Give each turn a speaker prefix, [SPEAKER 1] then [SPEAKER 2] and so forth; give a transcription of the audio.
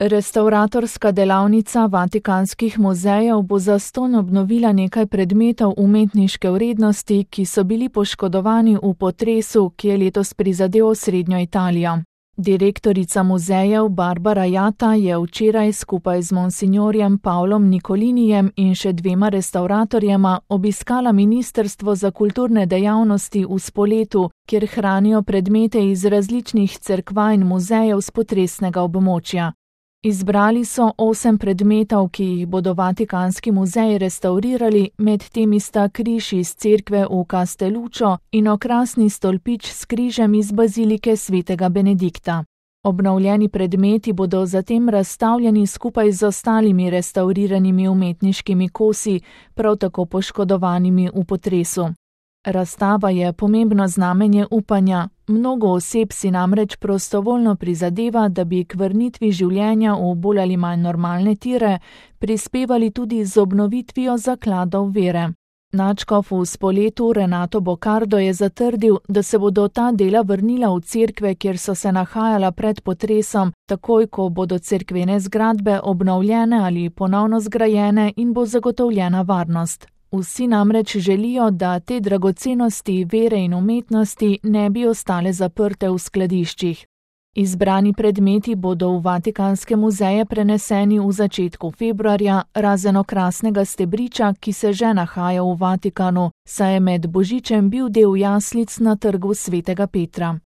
[SPEAKER 1] Restavratorska delavnica Vatikanskih muzejev bo zastonj obnovila nekaj predmetov umetniške vrednosti, ki so bili poškodovani v potresu, ki je letos prizadel osrednjo Italijo. Direktorica muzejev Barbara Jatta je včeraj skupaj z monsinjorjem Pavlom Nicolinijem in še dvema restavratorjema obiskala Ministrstvo za kulturne dejavnosti v Spoletu, kjer hranijo predmete iz različnih cerkva in muzejev s potresnega območja. Izbrali so 8 predmetov, ki jih bodo Vatikanski muzeji restavrirali, med temi sta križ iz cerkve v Castelluccio in okrasni stolpič s križem iz bazilike svetega Benedikta. Obnovljeni predmeti bodo zatem razstavljeni skupaj z ostalimi restavriranimi umetniškimi kosi, prav tako poškodovanimi v potresu. Razstava je pomembno znamenje upanja. Mnogo oseb si namreč prostovoljno prizadeva, da bi k vrnitvi življenja v bolj ali manj normalne tire prispevali tudi z obnovitvijo zakladov vere. Nadškof v Spoletu Renato Boccardo je zatrdil, da se bodo ta dela vrnila v cerkve, kjer so se nahajala pred potresom, takoj ko bodo cerkvene zgradbe obnovljene ali ponovno zgrajene in bo zagotovljena varnost. Vsi namreč želijo, da te dragocenosti vere in umetnosti ne bi ostale zaprte v skladiščih. Izbrani predmeti bodo v Vatikanske muzeje preneseni v začetku februarja, razen okrasnega stebriča, ki se že nahaja v Vatikanu, saj je med božičem bil del jaslic na trgu svetega Petra.